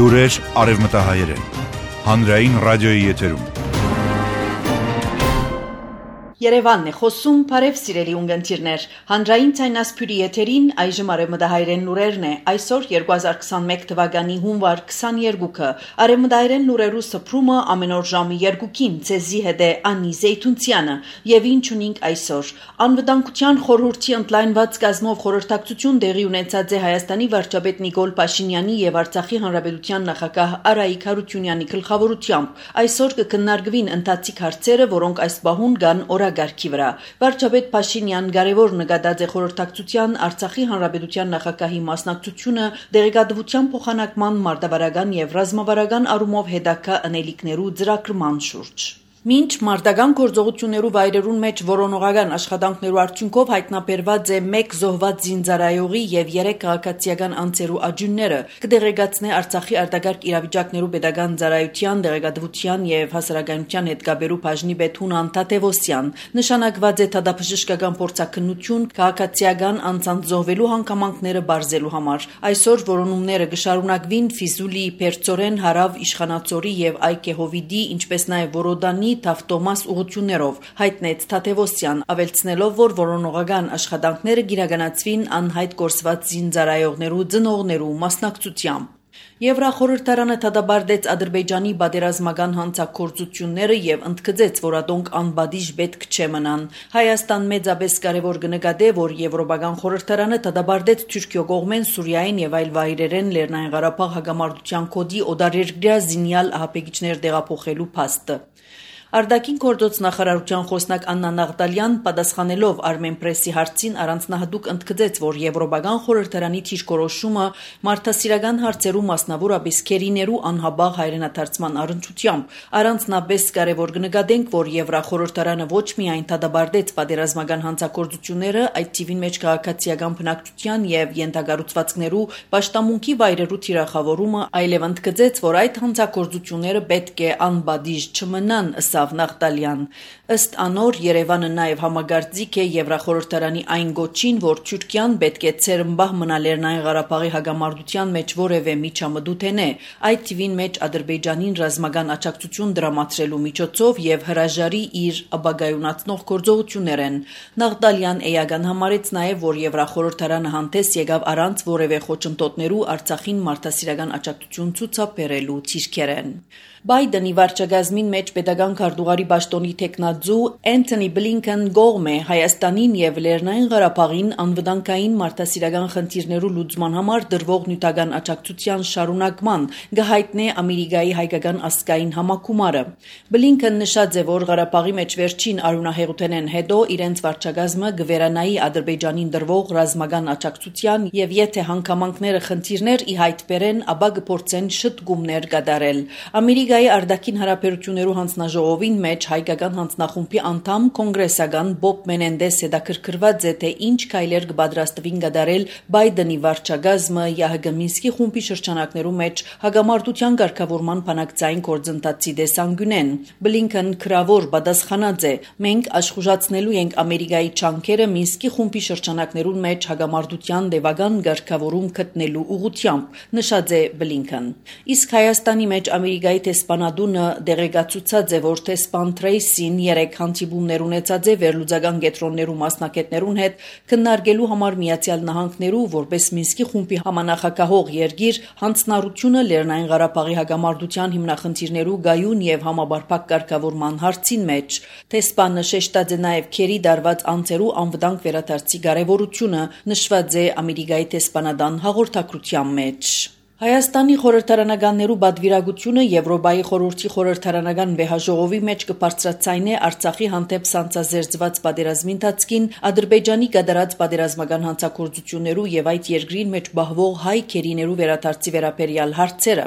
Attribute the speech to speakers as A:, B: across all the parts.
A: Լուրեր արևմտահայերեն, հանրային ռադիոյի եթերում։
B: Երևանն է խոսում, բարև սիրելի ունգընտիրներ, հանրային ցայնասփյուրի եթերին այժմ արևմտահայերեն լուրերն է, այսօր 2021 թվականի հունվար 22-ը, արևմտահայերեն լուրերու սփռումը ամեն օր ժամի 2-ին, ցեզի հետ է Անի Զեյթունցյանը, եւ ինչ ունենք այսօր, անվտանգության խորհրդի ընդլայնված կազմով խորհրդակցություն տեղի ունեցած է Հայաստանի վարչապետ Նիկոլ Փաշինյանի եւ Արցախի հանրապետության նախագահ Արայիկ Հարությունյանի գլխավորությամբ, այսօր կքննարկվին ընթացիկ հարցերը, որոնք այս պահուն կան օրագարկի վրա։ Վարչապետ Փաշինյան կարևոր նկատած է խորհրդակցության Արցախի հանրապետության նախագահի մասնակցությունը դեղեկատվության փոխանակման մարտավարական եւ ռազմավարական առումով հետագա անելիքներու ծրագրման շուրջ։ Մինչ մարտական գործողություններու վայրերուն մեջ որոնողական աշխատանքներու արդյունքով հայտնաբերված է 1 զոհված զինծառայողի եւ 3 քաղաքացիական անձերու աջունները, կդեղեկացնե Արցախի արտագաղթ իրավիճակներու պետական ծառայության դեղեկատվության եւ հասարակայնության հետ կապերու բաժնի պետ Հունան Թադևոսյան, նշանակված է դատաբժշկական փորձաքննություն քաղաքացիական անձանց զոհվելու հանգամանքները բարձելու համար։ Այսօր որոնումները կշարունակվին Ֆիզուլի, Պերծորեն, Հարավ, Իշխանածորի եւ Այկեհովիդի, ինչպես նաեւ Որոդանի Թավտոմաս ուղություններով, հայտնեց Թադևոսյան, ավելցնելով, որ որոնողական աշխատանքները գիրականացվին անհայտ կորսված զինծառայողներու ծնողներու մասնակցությամբ։ Եվրախորհրդարանը դատապարտեց Ադրբեջանի պատերազմական հանցագործությունները եւ ընդգծեց, որ ադոնք անբադիժ պետք չէ մնան։ Հայաստան մեծապես կարևոր կնկատե, որ Եվրոպական խորհրդարանը դատապարտեց Թուրքիո կողմեն Սուրիային եւ այլ վայրերեն Լեռնային Ղարաբաղ հակամարտության կոդի օտարերկրյա զինյալ ահապեկիչներ տեղափոխելու փաստը։ Արտաքին գործոց նախարարության խոսնակ Աննա Նաղդալյան պատասխանելով Armenpress-ի հարցին առանձնահատուկ ընդգծեց, որ Եվրոպական խորհրդարանի թիրքորոշումը մարդասիրական հարցերու մասնավորապես քերիներու անհաբաղ հայրենադարձման առընչությամբ առանձնապես կարևոր կնկատենք, որ Եվրախորհրդարանը ոչ միայն դատապարտեց պատերազմական հանցագործությունները, այդ թիվին մեջ քաղաքացիական բնակչության եւ ենթակառուցվածքներու պաշտամունքի վայրերու թիրախավորումը, այլև ընդգծեց, որ այդ հանցագործությունները պետք է անբադիժ չմնան, Նաղդալյան։ Ըստ անոր Երևանը նաև համագործիկ է Եվրախորհրդարանի այն գոչին, որ Թուրքիան պետք է ցերմբահ մնա Լեռնային Ղարաբաղի հակամարտության մեջ որևէ միջամտութենե, այդ թիվին մեջ Ադրբեջանին ռազմական աջակցություն դրամատրելու միջոցով եւ հրաժարի իր ապագայունացնող գործողություններ են։ Նաղդալյան էական համարեց նաև, որ Եվրախորհրդարանը հանդես եկավ առանց որևէ խոչընդոտներու Արցախին մարդասիրական աջակցություն ցուցաբերելու թիրքերեն։ Բայդենի վարչակազմին մեջ պետական քարտուղարի պաշտոնի տեխնաձու Անթոնի Բլինքեն գողմ է Հայաստանին եւ Լեռնային Ղարաբաղին անվտանգային մարդասիրական խնդիրներու լուծման համար դրվող նյութական աջակցության շարունակման գահիտնե Ամերիկայի հայկական ազգային համակումարը։ Բլինքեն նշած է, որ Ղարաբաղի մեջ վերջին արյունահեղութենեն հետո իրենց վարչակազմը գվերանայի Ադրբեջանին դրվող ռազմական աջակցության եւ եթե հանգամանքները խնդիրներ ի հայտ բերեն, ապա կփորձեն շտկումներ կատարել։ Ամերիկայի արտաքին հարաբերություններու հանձնաժողովին մեջ հայկական հանձնախումբի անդամ կոնգրեսական Բոբ Մենենդես հետաքրքրված է, թե ինչ քայլեր կպատրաստվին կատարել Բայդենի վարչակազմը ԵԱՀԿ Մինսկի խումբի շրջանակներու մեջ հակամարտության ղեկավարման բանակցային գործընթացի դեսանգյունեն։ Բլինքեն քրավոր պատասխանած է. մենք աշխուժացնելու ենք Ամերիկայի ջանքերը Մինսկի խումբի շրջանակներուն մեջ հակամարտության դեպական ղեկավարում գտնելու ուղղությամբ, նշած է Բլինքեն։ Իսկ Հայաստանի մեջ Ամերիկայի տեսփանադունը դեղեկացուցած է, որ տեսփան Թրեյսին 3 հանդիպումներ ունեցած է վերլուծական կենտրոններու մասնակիցներուն հետ քննարկելու համար Միացյալ Նահանգներու որպես Մինսկի խումբի համանախագահող երկիր հանձնառությունը Լեռնային Ղարաբաղի հակամարտության հիմնախնդիրներու գայուն եւ համապարփակ կարգավորման հարցին մեջ։ Տեսփանը շեշտած է նաեւ քերի դարված անձերու անվտանգ վերադարձի կարեւորությունը, նշված է Ամերիկայի տեսփանադան հաղորդակցության մեջ։ Հայաստանի խորհրդարանականներու բադվիրագությունը Եվրոպայի խորհրդի խորհրդարանական վեհաժողովի մեջ կբարձրացնի Արցախի հանդեպ սանձազերծված պատերազմի ընթացքին Ադրբեջանի կատարած պատերազմական հանցագործություններու եւ այդ երկրին մեջ բահվող հայ քերիներու վերադարձի վերաբերյալ հարցերը։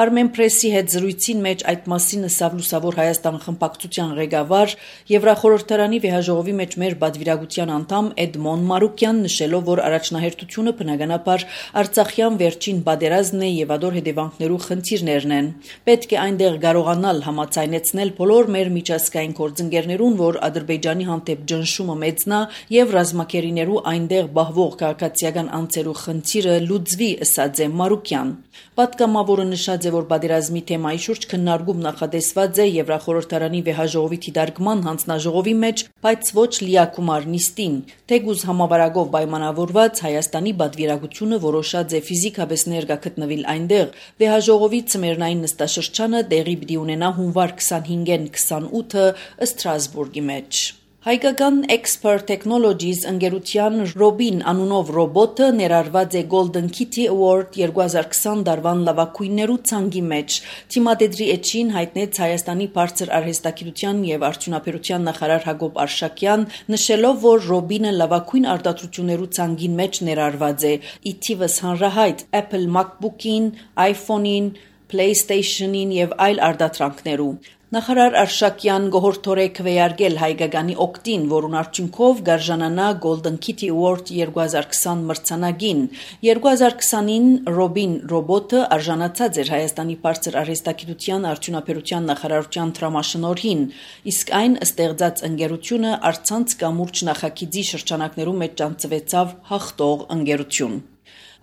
B: Armenpress-ի հետ զրույցին մեջ այդ մասին ըսավ Լուսավոր Հայաստան խմբակցության ղեկավար Եվրախորհրդարանի վեհաժողովի մեջ մեր բադվիրագության անդամ Էդմոն Մարուկյան, նշելով, որ առաջնահերթությունը բնականաբար Արցախյան վերջին պատերազմը գազն է եւ ադոր հետևանքներու խնդիրներն են։ Պետք է այնտեղ կարողանալ համաձայնեցնել բոլոր մեր միջազգային գործընկերներուն, որ Ադրբեջանի հանդեպ ճնշումը մեծնա եւ ռազմակերիներու այնտեղ բահվող քաղաքացիական անձերու խնդիրը լուծվի, ըսած է Մարուկյան։ Պատգամավորը նշած է, որ պատերազմի թեմայի շուրջ քննարկում նախատեսված է Եվրախորհրդարանի վեհաժողովի թիդարկման հանձնաժողովի մեջ, բայց ոչ լիակումար նիստին։ Թեգուզ համավարակով պայմանավորված Հայաստանի պատվիրակությունը որոշած է ֆիզիկապես ներկա գտնվել այնտեղ։ Վեհաժողովի ցմերնային նստաշրջանը տեղի պիտի ունենա հունվար 25-ին 28-ը Ստրասբուրգի մեջ։ Հայկական Expert Technologies ընկերության Robin անունով ռոբոտը ներառված է Golden Kitty Award 2020 տարվան լավագույններու ցանկի մեջ։ Թիմադեդրի էջին հայտնեց Հայաստանի բարձր արհեստագիտության եւ արդյունաբերության նախարար Հակոբ Արշակյան, նշելով, որ Robin-ը լավագույն արտադրություններու ցանկին մեջ ներառված է։ Իթիվս հանրահայտ Apple MacBook-ին, iPhone-ին, PlayStation-ին եւ այլ արտադրանքներու։ Նախարար Արշակյան գոհորթորե քվեարկել հայկականի օկտին, որուն արդյունքով գարժանանա Golden Kitty Award 2020 մրցանակին։ 2020-ին Robin ռոբոտը արժանացած էր Հայաստանի բարձր արհեստագիտության արդյունաբերության նախարարության դրամաշնորհին, իսկ այն ստեղծած ընկերությունը արցանց կամուրջ նախագիծի շրջանակներում մեջ ճանաչվեցավ հաղթող ընկերություն։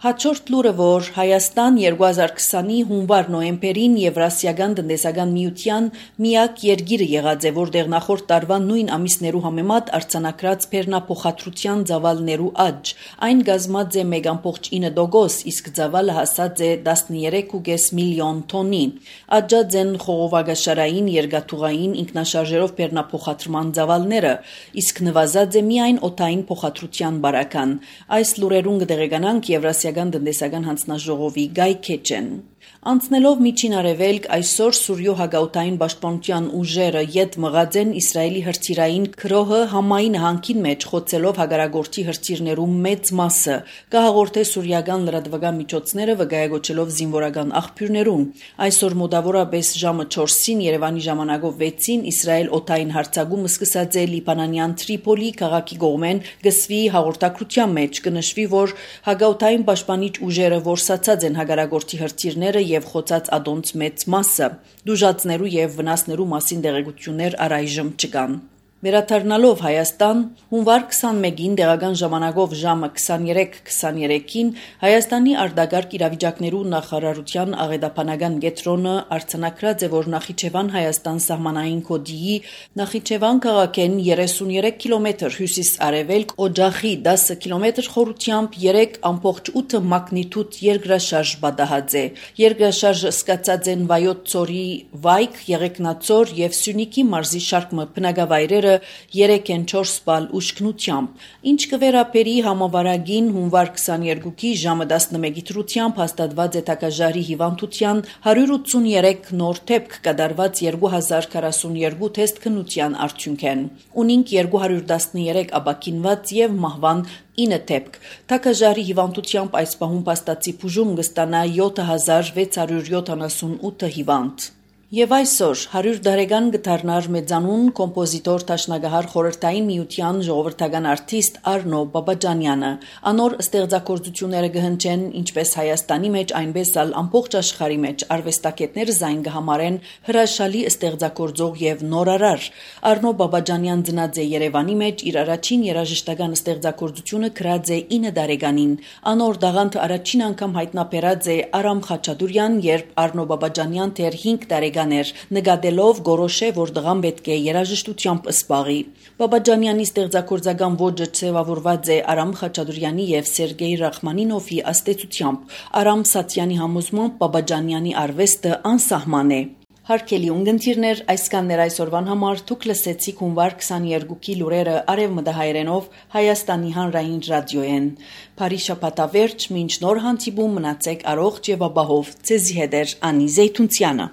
B: Հաջորդ լուրը, որ Հայաստան 2020-ի հունվար-նոյեմբերին Եվրասիական տնտեսական միության միակ երկիրը եղած է, որտեղ նախորդ տարվա նույն ամիսներու համեմատ արձանագրած բեռնափոխադրության ծավալներու աճ։ Այն կազմած է 1.9%, իսկ ծավալը հասած է 13.5 միլիոն տոննի։ Աճած են խողովակաշարային, երկաթուղային, ինքնաշարժերով բեռնափոխադրման ծավալները, իսկ նվազած է միայն օդային փոխադրության բարական։ Այս լուրերուն կտեղեկանանք Եվրասիական տնտեսական հանձնաժողովի գայքեջեն։ Անցնելով միջին արևելք, այսօր Սուրյո հագաուտային պաշտպանության ուժերը յետ մղած են Իսրայելի հրթիռային քրոհը Համայի նահանգին մեջ, խոցելով հագարագործի հրթիռներու մեծ մասը, կհաղորդե սուրիական լրատվական միջոցները վկայակոչելով զինվորական աղբյուրներուն։ Այսօր մոտավորապես ժամը 4-ին Երևանի ժամանակով 6-ին Իսրայել օդային հարձակումը սկսած է Լիբանանյան Տրիպոլի քաղաքի կողմեն գսվի հաղորդակցության մեջ, կնշվի, որ հագաուտային պաշտպանիչ ուժերը որսացած են հագարագործի հրթիռները եւ խոցած ադոնց մեծ մասը։ Դուժածներու եւ վնասներու մասին տեղեկություններ առայժմ չկան։ Վերադառնալով Հայաստան, հունվար 21-ին տեղական ժամանակով ժամը 23:23-ին Հայաստանի արտագաղթ իրավիճակներու նախարարության աղետաբանական կենտրոնը արձանագրած է, որ Նախիջևան Հայաստան սահմանային կոդիի Նախիջևան քաղաքեն 33 կիլոմետր հյուսիս-արևելք, Օջախի 10 կիլոմետր խորությամբ 3.8 մագնիտուդ երկրաշարժ պատահած է։ Երկրաշարժը սկսած են Վայոց ծորի Վայք, Եղեգնաձոր եւ Սյունիքի մարզի շարք բնակավայրերը 3-4 բալ ուշքնությամբ։ Ինչ կվերապերի համավարագին հունվար 22-ի ժամը 11-ի դրությամբ հաստատված է թագաժարի հիվանդության 183 նոր դեպք կատարված 2042 թեստ քննության արդյունքեն։ Ունինք 213 ապաքինված եւ մահվան 9 դեպք։ Թագաժարի հիվանդությամբ այս պահում փաստացի բուժում կստանա 7678 հիվանդ։ Եվ այսօր 100 տարեկան կդառնար մեծանուն կոմպոզիտոր Տաշնագահար խորհրդային միության ժողովրդական արտիստ Արնո Բաբաջանյանը։ Անոր ստեղծագործությունները կհնչեն ինչպես Հայաստանի մեջ, այնպես էլ ամբողջ աշխարհի մեջ արվեստագետները զայն կհամարեն հրաշալի ստեղծագործող եւ նորարար։ Արնո Բաբաջանյան ծնած է Երևանի մեջ, իր առաջին երաժշտական ստեղծագործությունը գրած է 9 տարեկանին։ Անոր դաղանթը առաջին անգամ հայտնաբերած է Արամ Խաչատուրյան, երբ Արնո Բաբաջանյան դեռ 5 տարեկան նկատելով գորոշե, որ դղան պետք է երաժշտությամբ սպաղի։ Բաբաջանյանի ստեղծագործական ոճը ձևավորված է Արամ Խաչատուրյանի եւ Սերգեյ Ռախմանինովի աստեցությամբ։ Արամ Սատյանի համոզմամբ Բաբաջանյանի արվեստը անսահման է։ Հարգելի ունգընտիրներ, այսքաններ այսօրվան համար դուք լսեցիք հունվար 22-ի լուրերը արևմտահայերենով Հայաստանի հանրային ռադիոյեն։ Բարի շաբաթավերջ, մինչ նոր հանդիպում մնացեք առողջ եւ ապահով։ Ձեզի հետ է Անի Զեյթունցյանը։